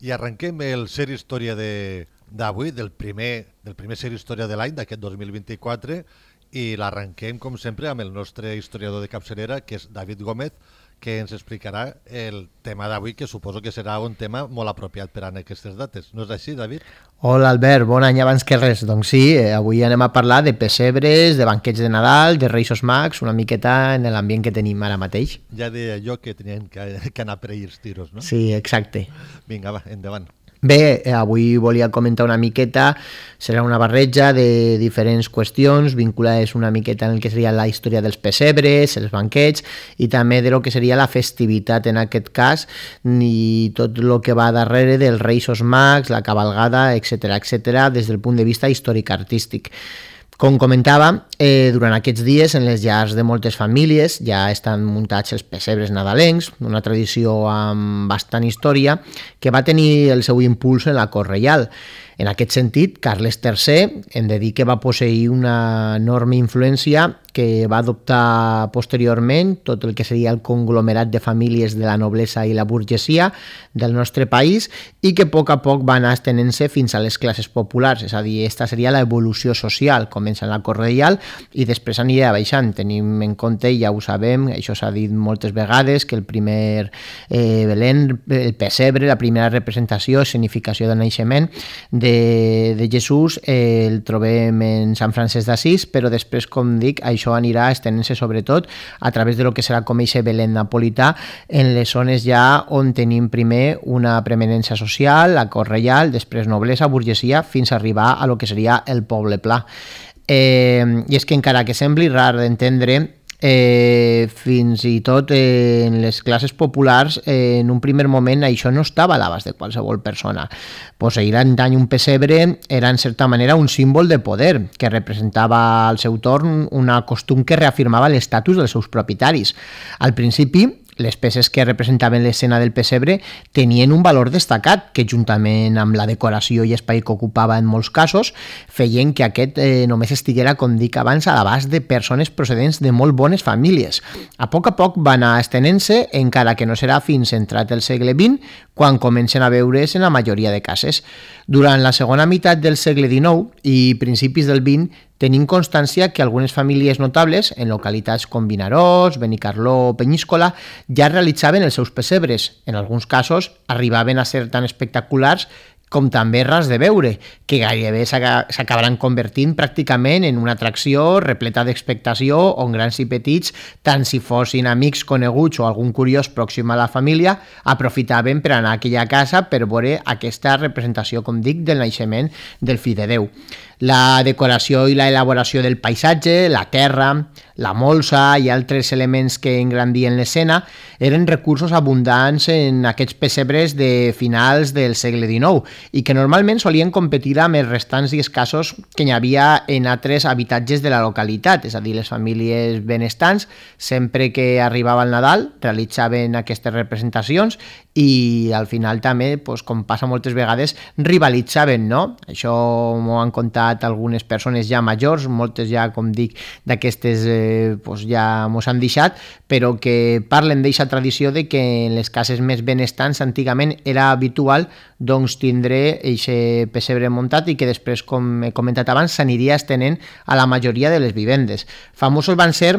I arrenquem el Ser Història d'avui, del primer Ser Història de l'any, d'aquest 2024, i l'arrenquem, com sempre, amb el nostre historiador de capçalera, que és David Gómez, que ens explicarà el tema d'avui, que suposo que serà un tema molt apropiat per a aquestes dates. No és així, David? Hola, Albert, bon any abans que res. Doncs sí, avui anem a parlar de pessebres, de banquets de Nadal, de Reis Mags, una miqueta en l'ambient que tenim ara mateix. Ja deia jo que tenien que anar per ells tiros, no? Sí, exacte. Vinga, va, endavant. Bé, avui volia comentar una miqueta, serà una barreja de diferents qüestions vinculades una miqueta en el que seria la història dels pessebres, els banquets i també de lo que seria la festivitat en aquest cas i tot el que va darrere dels Reis Mags, la cabalgada, etc des del punt de vista històric-artístic. Com comentava, durant aquests dies en les llars de moltes famílies ja estan muntats els pessebres nadalencs, una tradició amb bastant història que va tenir el seu impuls en la cort reial. En aquest sentit, Carles III hem de dir que va posseir una enorme influència que va adoptar posteriorment tot el que seria el conglomerat de famílies de la noblesa i la burgesia del nostre país i que a poc va anar estenent-se fins a les classes populars, és a dir, aquesta seria l'evolució social, comença en la cort reial i després anirà baixant. Tenim en compte, ja ho sabem, això s'ha dit moltes vegades, que el primer Belén, el pessebre, la primera representació, significació del naixement de Jesús, el trobem en Sant Francesc d'Assís, però després, com dic, això anirà estenent-se sobretot a través de lo que serà com eixe Belén napolità en les zones ja on tenim primer una preeminència social, la cort reial, després noblesa, burgesia, fins a arribar a lo que seria el poble pla. I és que encara que sembli rar d'entendre, fins i tot en les classes populars en un primer moment això no estava a l'abast de qualsevol persona. Posseir antany un pessebre era en certa manera un símbol de poder que representava al seu torn una costum que reafirmava l'estatus dels seus propietaris. Al principi, les peces que representaven l'escena del pessebre tenien un valor destacat que, juntament amb la decoració i espai que ocupava en molts casos, feien que aquest només estiguera, com dic abans, a l'abast de persones procedents de molt bones famílies. A poc va anar estenent-se, encara que no serà fins entrat el segle XX, quan comencen a veure's en la majoria de cases. Durant la segona meitat del segle XIX i principis del XX, tenim constància que algunes famílies notables, en localitats com Vinaròs, Benicarló o Penyíscola, ja realitzaven els seus pessebres. En alguns casos arribaven a ser tan espectaculars com també ras de veure, que gairebé s'acabaran convertint pràcticament en una atracció repleta d'expectació on grans i petits, tant si fossin amics coneguts o algun curiós pròxim a la família, aprofitaven per anar a aquella casa per veure aquesta representació, com dic, del naixement del fill de Déu. La decoració i la elaboració del paisatge, la terra, la molsa i altres elements que engrandien l'escena eren recursos abundants en aquests pessebres de finals del segle XIX i que normalment solien competir amb els restants i escassos que hi havia en altres habitatges de la localitat, és a dir, les famílies benestants, sempre que arribava el Nadal, realitzaven aquestes representacions i al final també, com passa moltes vegades, rivalitzaven, no? Això m'ho han contat algunes persones ja majors, moltes ja, com dic, d'aquestes ja mos han deixat, però que parlen d'eixa tradició de que en les cases més benestants antigament era habitual doncs tindre eixe pessebre muntat i que després, com he comentat abans, s'aniria estenent a la majoria de les vivendes. Famosos van ser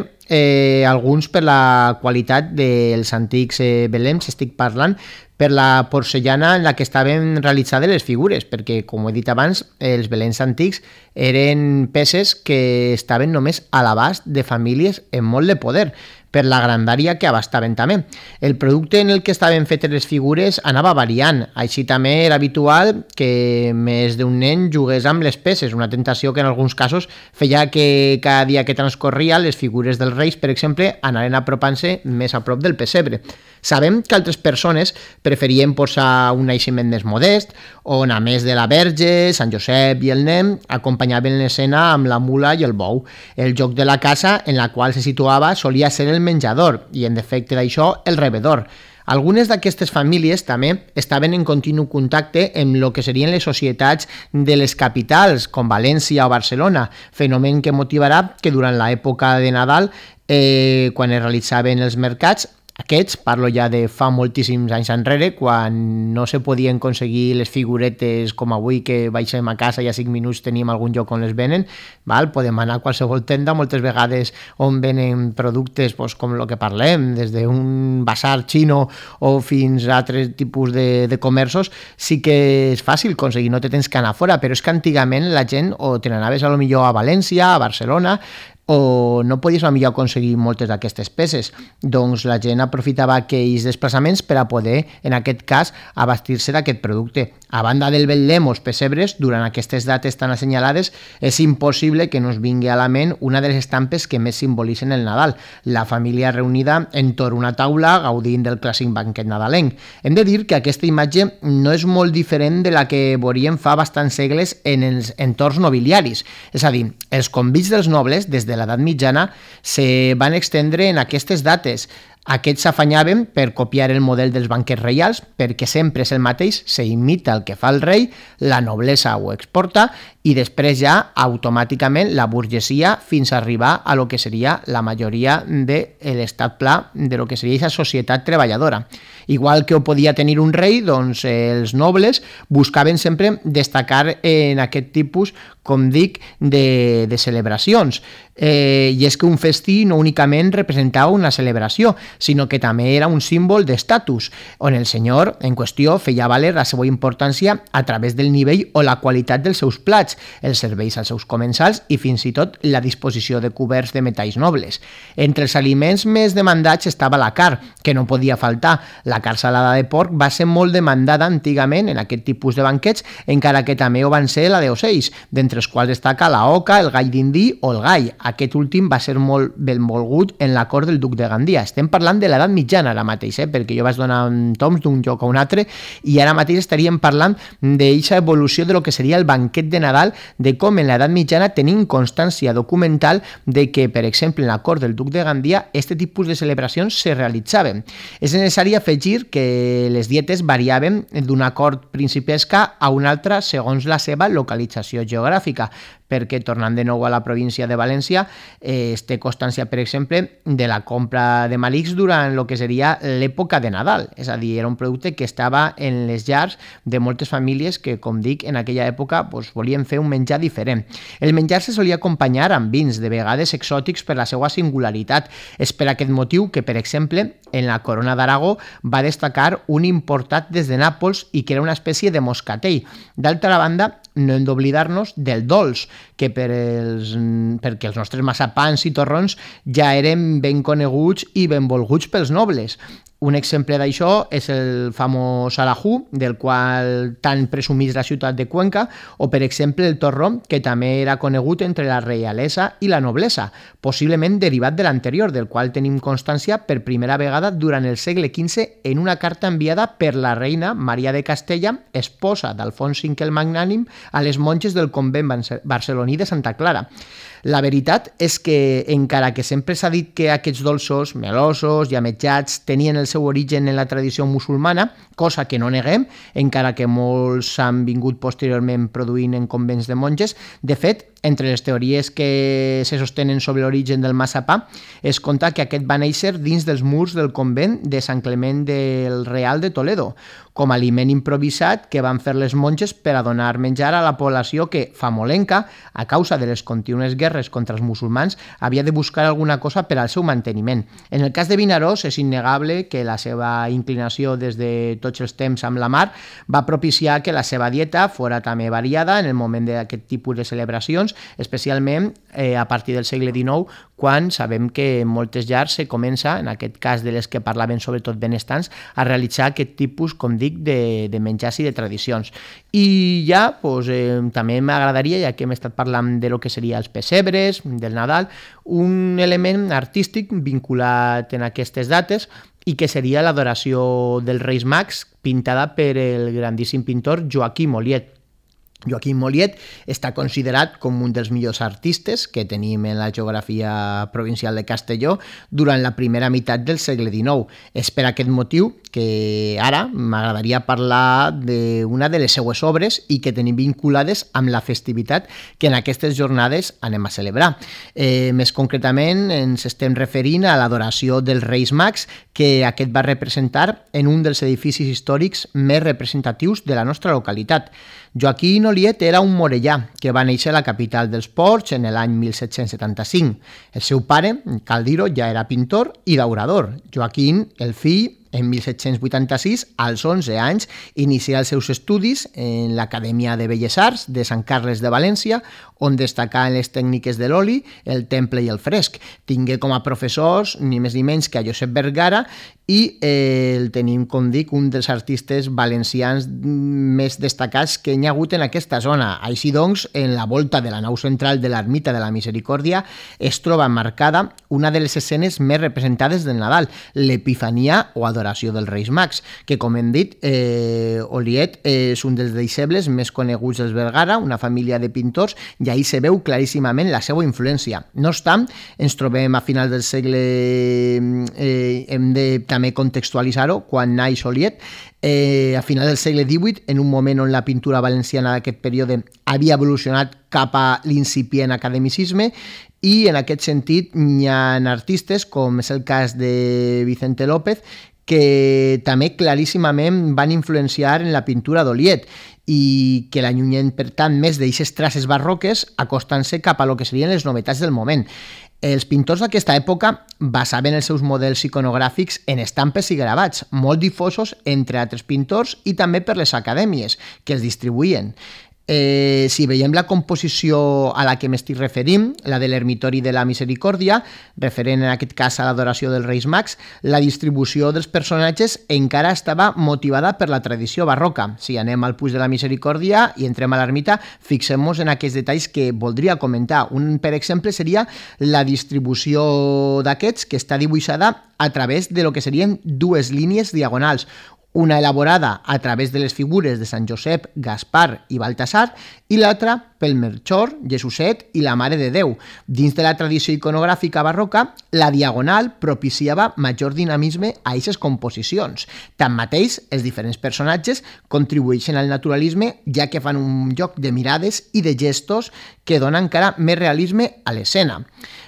alguns per la qualitat dels antics belems, estic parlant, per la porcellana en la que estaven realitzades les figures, perquè, com he dit abans, els belems antics eren peces que estaven només a l'abast de famílies amb molt de poder, per la grandària que abastaven també. El producte en el que estaven fetes les figures anava variant, així també era habitual que més d'un nen jugués amb les peces, una tentació que en alguns casos feia que cada dia que transcorria les figures dels reis, per exemple, anaren apropant-se més a prop del pessebre. Sabem que altres persones preferien posar un naixement més modest, on a més de la Verge, Sant Josep i el nen, acompanyaven l'escena amb la mula i el bou. El joc de la casa en la qual se situava solia ser el menjador i, en defecte d'això, el rebedor. Algunes d'aquestes famílies també estaven en continu contacte amb el que serien les societats de les capitals, com València o Barcelona, fenomen que motivarà que durant l'època de Nadal, quan es realitzaven els mercats, Aquests, parlo ja de fa moltíssims anys enrere, quan no se podien aconseguir les figuretes com avui, que baixem a casa i a 5 minuts tenim algun lloc on les venen, val? Podem anar a qualsevol tenda, moltes vegades on venen productes pues, com el que parlem, des d'un basar xino o fins a altres tipus de comerços, sí que és fàcil aconseguir, no te tens que anar fora, però és que antigament la gent o te n'anaves a lo millor a València, a Barcelona, o no podies millor aconseguir moltes d'aquestes peces, doncs la gent aprofitava aquells desplaçaments per a poder, en aquest cas, abastir-se d'aquest producte. A banda del betlem o els pessebres, durant aquestes dates tan assenyalades, és impossible que no es vingui a la ment una de les estampes que més simbolitzen el Nadal, la família reunida entorn una taula gaudint del clàssic banquet nadalenc. Hem de dir que aquesta imatge no és molt diferent de la que veuríem fa bastants segles en els entorns nobiliaris, és a dir, els convits dels nobles, des de l'edat mitjana, se van extendre en aquestes dates. Aquests s'afanyaven per copiar el model dels banquets reials, perquè sempre és el mateix, se imita el que fa el rei, la noblesa ho exporta i després ja automàticament la burgesia fins a arribar a lo que seria la majoria de l'estat pla de lo que seria aquesta societat treballadora. Igual que ho podia tenir un rei, doncs els nobles buscaven sempre destacar en aquest tipus, com dic, de celebracions. I és que un festí no únicament representava una celebració, sinó que també era un símbol d'estatus, on el senyor en qüestió feia valer la seva importància a través del nivell o la qualitat dels seus plats, els serveis als seus comensals i fins i tot la disposició de coberts de metalls nobles. Entre els aliments més demandats estava la carn, que no podia faltar. La carn salada de porc va ser molt demandada antigament en aquest tipus de banquets, encara que també ho van ser la d'ocells, d'entre els quals destaca la oca, el gall d'indí o el gall. Aquest últim va ser molt benvolgut en la cort del duc de Gandia. Estem parlant de l'edat mitjana ara mateix, perquè jo vaig donar toms d'un lloc a un altre i ara mateix estaríem parlant d'aquesta evolució de lo que seria el banquet de Nadal, de com en l'edat mitjana tenim constància documental de que, per exemple, en la cort del duc de Gandia, aquest tipus de celebracions se realitzaven. És necessari afegir que les dietes variaven d'una cort principesca a una altra segons la seva localització geogràfica, perquè, tornant de nou a la província de València, es té constància, per exemple, de la compra de malics durant el que seria l'època de Nadal. És a dir, era un producte que estava en les llars de moltes famílies que, com dic, en aquella època volien fer un menjar diferent. El menjar se solia acompanyar amb vins, de vegades exòtics per la seva singularitat. És per aquest motiu que, per exemple, en la corona d'Aragó va destacar un importat des de Nàpols i que era una espècie de moscatell. D'altra banda, no hem d'oblidar-nos del dolç, que perquè els nostres massapans i torrons ja eren ben coneguts i benvolguts pels nobles. Un exemple d'això és el famós alajú, del qual tant presumís la ciutat de Cuenca, o per exemple el torró, que també era conegut entre la reialesa i la noblesa, possiblement derivat de l'anterior, del qual tenim constància per primera vegada durant el segle XV en una carta enviada per la reina Maria de Castella, esposa d'Alfons V el Magnànim, a les monges del convent barceloní de Santa Clara. La veritat és que, encara que sempre s'ha dit que aquests dolços, melosos i ametllats, tenien el seu origen en la tradició musulmana, cosa que no neguem, encara que molts s'han vingut posteriorment produint en convents de monges. De fet, entre les teories que se sostenen sobre l'origen del massapà, es conta que aquest va néixer dins dels murs del convent de Sant Clement del Real de Toledo, com a aliment improvisat que van fer les monges per a donar menjar a la població que, famolenca, a causa de les contínues guerres contra els musulmans, havia de buscar alguna cosa per al seu manteniment. En el cas de Vinaròs, és innegable que la seva inclinació des de tots els temps amb la mar va propiciar que la seva dieta fora també variada en el moment d'aquest tipus de celebracions, especialment a partir del segle XIX, quan sabem que en moltes llars se comença, en aquest cas de les que parlaven sobretot benestants, a realitzar aquest tipus, com dic, de menjars i de tradicions. I ja, també m'agradaria, ja que hem estat parlant de lo que seria els pessebres, del Nadal, un element artístic vinculat en aquestes dates i que seria l'adoració dels Reis Mags, pintada per el grandíssim pintor Joaquim Oliet. Joaquim Mollet està considerat com un dels millors artistes que tenim en la geografia provincial de Castelló durant la primera meitat del segle XIX. És per aquest motiu que ara m'agradaria parlar d'una de les seues obres i que tenim vinculades amb la festivitat que en aquestes jornades anem a celebrar. Més concretament ens estem referint a l'adoració dels Reis Mags que aquest va representar en un dels edificis històrics més representatius de la nostra localitat. Joaquim Oliet era un morellà que va néixer a la capital dels Ports en l'any 1775. El seu pare, cal dir-ho, ja era pintor i daurador. Joaquim, el fill, en 1786, als 11 anys, inicià els seus estudis en l'Acadèmia de Belles Arts de Sant Carles de València, on destacà en les tècniques de l'oli, el temple i el fresc. Tingué com a professors ni més ni menys que a Josep Vergara i el tenim, com dic, un dels artistes valencians més destacats que hi ha hagut en aquesta zona. Així doncs, en la volta de la nau central de l'Ermita de la Misericòrdia es troba marcada una de les escenes més representades del Nadal, l'Epifania o Adoració dels Reis Mags, que, com hem dit, Oliet és un dels deixebles més coneguts dels Vergara, una família de pintors, i ahí se veu claríssimament la seva influència. No obstant, ens trobem a finals del segle, hem de també contextualitzar-ho, quan naix Oliet, a final del segle XVIII, en un moment on la pintura valenciana d'aquest període havia evolucionat cap a l'incipient academicisme, i en aquest sentit hi ha artistes, com és el cas de Vicente López, que també claríssimament van influenciar en la pintura d'Oliet i que l'allunyen, per tant, més d'eixes traces barroques, acostant-se cap a lo que serien les novetats del moment. Els pintors d'aquesta època basaven els seus models iconogràfics en estampes i gravats, molt difosos entre altres pintors i també per les acadèmies que els distribuïen. Si veiem la composició a la que m'estic referint, la de l'Ermitori de la Misericòrdia, referent en aquest cas a l'adoració dels Reis Mags, la distribució dels personatges encara estava motivada per la tradició barroca. Si anem al Puig de la Misericòrdia i entrem a l'ermita, fixem-nos en aquests detalls que voldria comentar. Un, per exemple, seria la distribució d'aquests, que està dibuixada a través de lo que serien dues línies diagonals, una elaborada a través de les figures de Sant Josep, Gaspar i Baltasar, i l'altra pel Melchor, Jesuset i la Mare de Déu. Dins de la tradició iconogràfica barroca, la diagonal propiciava major dinamisme a aquestes composicions. Tanmateix, els diferents personatges contribueixen al naturalisme, ja que fan un joc de mirades i de gestos que donen encara més realisme a l'escena.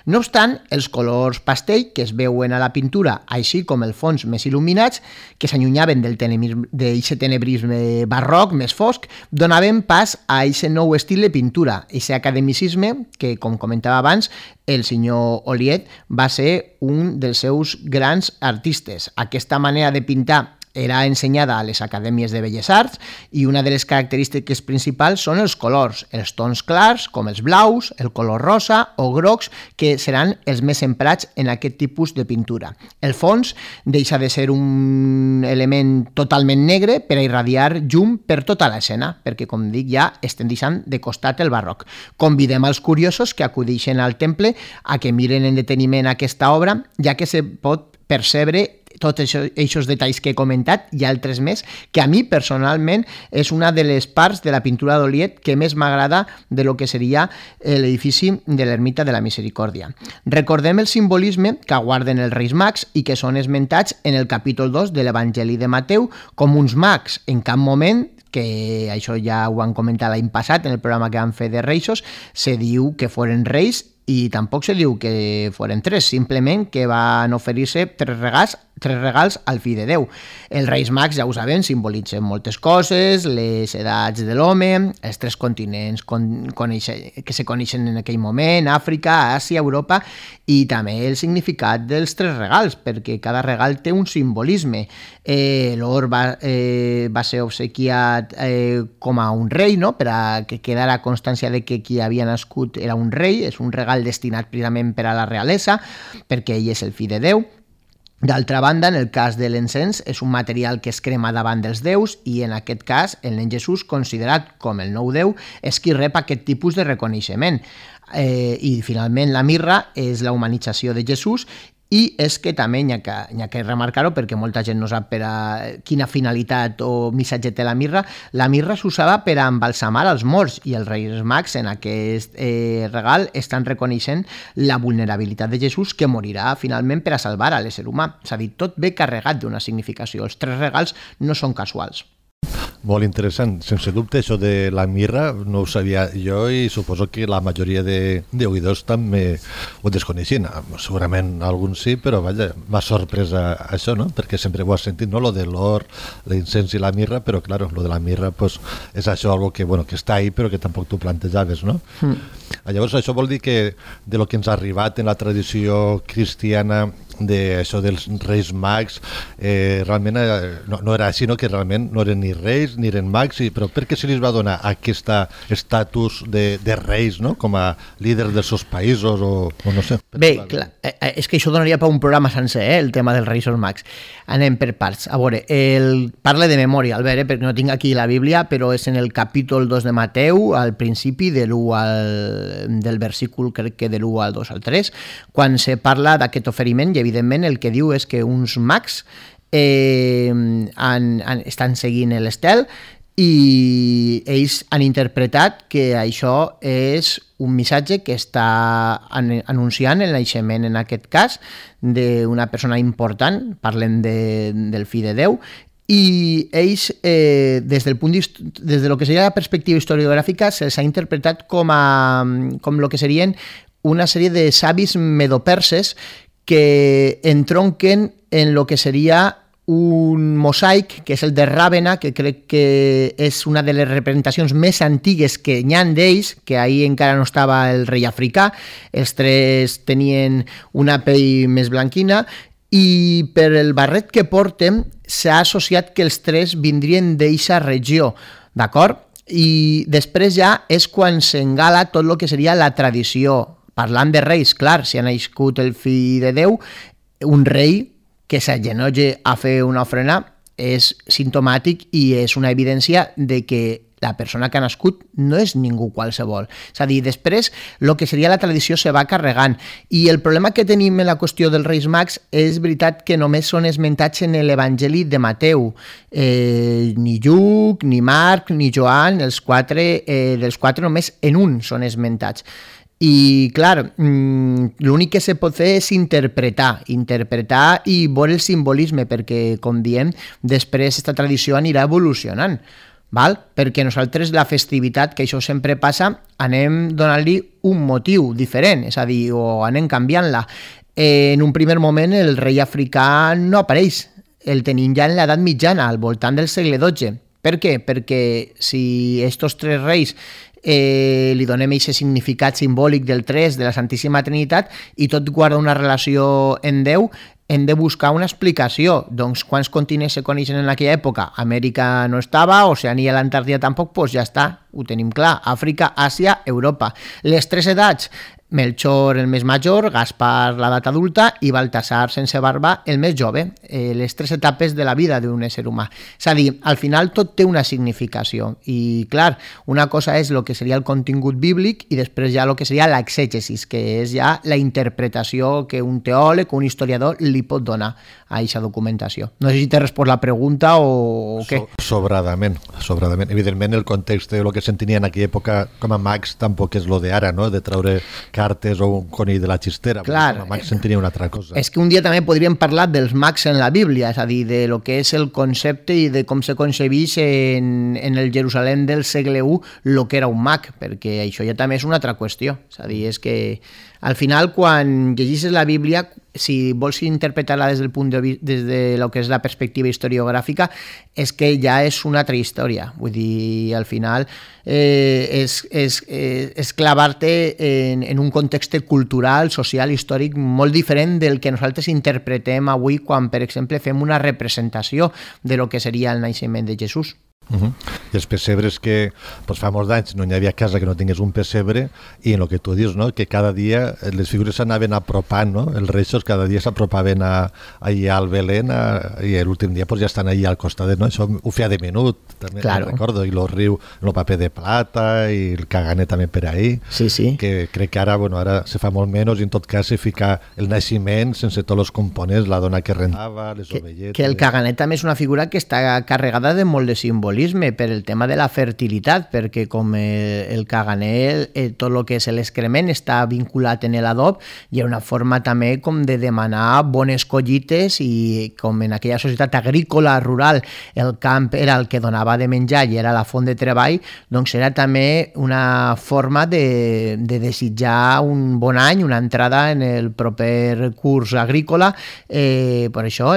No obstant, els colors pastell que es veuen a la pintura, així com el fons més il·luminats, que s'allunyaven d'aquest tenebrisme barroc més fosc, donaven pas a aquest nou estil de pintura, aquest academicisme que, com comentava abans, el senyor Oliet va ser un dels seus grans artistes. Aquesta manera de pintar era ensenyada a les acadèmies de Belles Arts i una de les característiques principals són els colors, els tons clars, com els blaus, el color rosa o grocs, que seran els més emprats en aquest tipus de pintura. El fons deixa de ser un element totalment negre per a irradiar llum per tota l'escena, perquè, com dic, ja estem deixant de costat el barroc. Convidem als curiosos que acudeixen al temple a que miren en deteniment aquesta obra, ja que se pot percebre tots aquests detalls que he comentat i altres més, que a mi personalment és una de les parts de la pintura d'Oliet que més m'agrada de lo que seria l'edifici de l'Ermita de la Misericòrdia. Recordem el simbolisme que guarden els Reis Mags i que són esmentats en el capítol 2 de l'Evangeli de Mateu com uns mags. En cap moment, que això ja ho han comentat l'any passat en el programa que vam fer de Reixos, se diu que foren reis i tampoc se diu que foren tres, simplement que van oferir-se tres regals al fill de Déu. Els Reis Mags, ja ho sabem, simbolitzen moltes coses, les edats de l'home, els tres continents que se coneixen en aquell moment, Àfrica, Àsia, Europa, i també el significat dels tres regals, perquè cada regal té un simbolisme. L'or va ser obsequiat com a un rei, no? Per a que quedara constància de que qui havia nascut era un rei, és un regal destinat precisament per a la realesa, perquè ell és el fill de Déu. D'altra banda, en el cas de l'encens, és un material que es crema davant dels déus i en aquest cas el nen Jesús, considerat com el nou déu, és qui rep aquest tipus de reconeixement. I finalment la mirra és la humanització de Jesús i és que també n'hi ha que remarcar-ho perquè molta gent no sap per a quina finalitat o missatge té la mirra. La mirra s'usava per a embalsamar els morts i els Reis Mags en aquest regal estan reconeixent la vulnerabilitat de Jesús que morirà finalment per a salvar a l'ésser humà. És a dir, tot ve carregat d'una significació. Els 3 regals no són casuals. Molt interessant, sense dubte això de la mirra no ho sabia jo i suposo que la majoria d'oïdors també ho desconeixien, segurament alguns sí, però vaja, m'ha sorprès això, no? Perquè sempre ho has sentit, no? Lo de l'or, l'incens i la mirra, però claro, lo de la mirra pues, és això algo que, bueno, que està ahí però que tampoc tu plantejaves, no? Llavors això vol dir que de lo que ens ha arribat en la tradició cristiana d'això dels Reis Mags realment no era així, no? Que realment no eren ni reis ni eren mags, però per què se li va donar aquest estatus de reis, no? Com a líders dels seus països o no sé. Bé, clar, és que això donaria per un programa sencer, el tema dels Reis Mags. Anem per parts. A veure, parla de memòria, Albert, perquè no tinc aquí la Bíblia, però és en el capítol 2 de Mateu, al principi del versícul, crec que de l'1 al 2 al 3, quan se parla d'aquest oferiment i evidentment el que diu és que uns mags estan seguint l'estel i ells han interpretat que això és un missatge que està anunciant el naixement, en aquest cas, d'una persona important, parlem del fill de Déu, i ells, des de lo que seria la perspectiva historiogràfica, se'ls ha interpretat com el que serien una sèrie de savis medoperses que entronquen en lo que seria un mosaic, que és el de Ràvena, que crec que és una de les representacions més antigues que n'hi ha d'ells, que ahir encara no estava el rei africà, els 3 tenien una pell més blanquina, i per el barret que porten s'ha associat que els 3 vindrien d'eixa regió, d'acord? I després ja és quan s'engala tot el que seria la tradició. Parlant de reis, clar, si ha nascut el fill de Déu, un rei que s'agenolle a fer una ofrena és simptomàtic i és una evidència de que la persona que ha nascut no és ningú qualsevol. És a dir, després el que seria la tradició se va carregant i el problema que tenim en la qüestió dels Reis Mags és veritat que només són esmentats en l'Evangeli de Mateu. Ni Lluc, ni Marc, ni Joan, dels 4 només en un són esmentats. I, clar, l'únic que se pot fer és interpretar i veure el simbolisme, perquè, com diem, després aquesta tradició anirà evolucionant, val? Perquè nosaltres la festivitat, que això sempre passa, anem donant-li un motiu diferent, és a dir, o anem canviant-la. En un primer moment el rei africà no apareix, el tenim ja en l'edat mitjana, al voltant del segle XII. Per què? Perquè si estos 3 reis li donem aquest significat simbòlic del 3, de la Santíssima Trinitat, i tot guarda una relació en Déu, hem de buscar una explicació. Doncs quants continents se coneixen en aquella època? Amèrica no estava, Oceania i l'Antàrtida tampoc, doncs ja està, ho tenim clar. Àfrica, Àsia, Europa. Les 3 edats, Melchor el més major, Gaspar l'edat adulta i Baltasar sense barba el més jove, les 3 etapes de la vida d'un ésser humà. És a dir, al final tot té una significació i clar, una cosa és el que seria el contingut bíblic i després ja el que seria l'exègesis, que és ja la interpretació que un teòleg o un historiador li pot donar a aquesta documentació. No sé si t'he respost la pregunta o què. Sobradament. Evidentment el context de lo que s'entenia en aquella època com a mags tampoc és lo de ara, no? De treure cartes o un conill de la xistera. Clar, com a mags s'entenia una altra cosa. És que un dia també podríem parlar dels mags en la Bíblia, és a dir, de lo que és el concepte i de com se concebeix en el Jerusalem del segle I el que era un mag, perquè això ja també és una altra qüestió. És a dir, és que al final, quan llegeixes la Bíblia, si vols interpretar-la des de lo que és la perspectiva historiogràfica, és que ja és una altra història. Vull dir, al final és clavar-te en un context cultural, social, històric molt diferent del que nosaltres interpretem avui quan, per exemple, fem una representació de lo que seria el naixement de Jesús. I els pessebres que pues, fa molts d'anys no hi havia casa que no tingués un pessebre, i en el que tu dius, no? Que cada dia les figures s'anaven apropant, no? Els reixos cada dia s'apropaven allà al Belén i l'últim dia pues, ja estan allà al costat, no? Això ho feia de minut, també recordo, i el riu, el paper de plata i el caganer també per ahí, que crec que ara, ara se fa molt menys, i en tot cas se fica el naixement sense tots els components, la dona que rentava, les ovelletes... Que el caganer també és una figura que està carregada de molt de simbolisme per el tema de la fertilitat, perquè com el caganer, tot el que és l'excrement està vinculat en l'adob, i hi ha una forma també com de demanar bones collites, i com en aquella societat agrícola rural el camp era el que donava de menjar i era la font de treball, doncs era també una forma de desitjar un bon any, una entrada en el proper curs agrícola, per això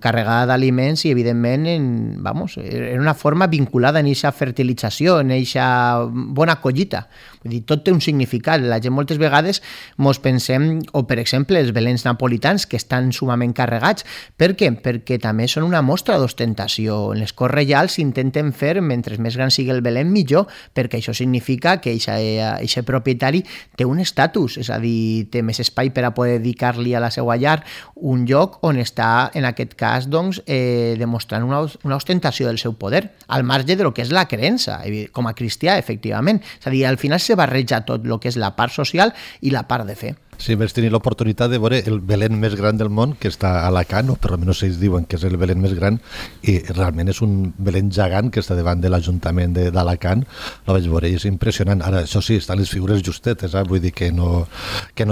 carregada d'aliments, i evidentment era una forma vinculada en aquesta fertilització, en aquesta bona collita. Vull dir, tot té un significat. La gent moltes vegades mos pensem, o per exemple els belens napolitans, que estan sumament carregats. Per què? Perquè també són una mostra d'ostentació. En les corts reials s'intenten fer, mentre més gran sigui el belén, millor, perquè això significa que aquest propietari té un estatus, és a dir, té més espai per a poder dedicar-li a la seva llar, un lloc on està, en aquest cas, doncs, demostrant una ostentació del seu poder, al marge de lo que és la creença, com a cristià, efectivament. És a dir, al final se barreja tot el que és la part social i la part de fe. Sí, vaig tenir l'oportunitat de veure el Belén més gran del món, que està a Alacant, o per almenys ells diuen que és el Belén més gran, i realment és un Belén gegant que està davant de l'Ajuntament d'Alacant. Lo vaig veure i és impressionant. Ara, això sí, estan les figures justetes, vull dir que no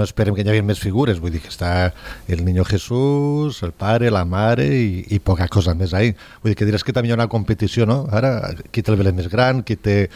esperem que hi hagi més figures, vull dir que està el Niño Jesús, el pare, la mare i poca cosa més ahí. Vull dir que diràs que també hi ha una competició, no? Ara, qui té el Belén més gran, qui té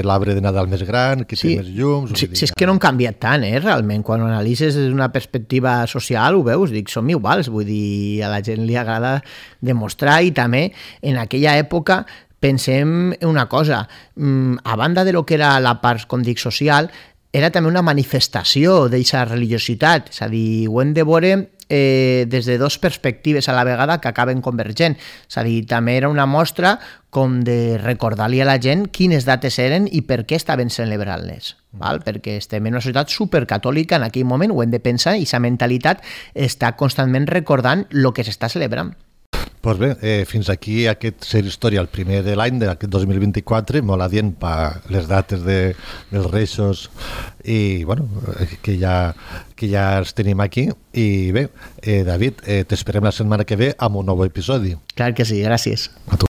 l'arbre de Nadal més gran, qui té més llums... Sí, és que no han canviat tant, realment, quan analitzes des d'una perspectiva social, ho veus, dic, som iguals, vull dir, a la gent li agrada demostrar, i també en aquella època pensem una cosa, a banda de lo que era la part, com dic, social, era també una manifestació d'aquesta religiositat, és a dir, ho hem de veure des de dues perspectives a la vegada que acaben convergent, és a dir, també era una mostra com de recordar-li a la gent quines dates eren i per què estaven celebrant-les, perquè estem en una societat supercatòlica en aquell moment, ho hem de pensar, i aquesta mentalitat està constantment recordant el que s'està celebrant. Doncs bé, fins aquí aquest Ser Història, el primer de l'any d'aquest 2024, molt adient per les dates dels Reixos, i bueno, que ja els tenim aquí. I bé, David, t'esperem la setmana que ve amb un nou episodi. Clar que sí, gràcies. A tu.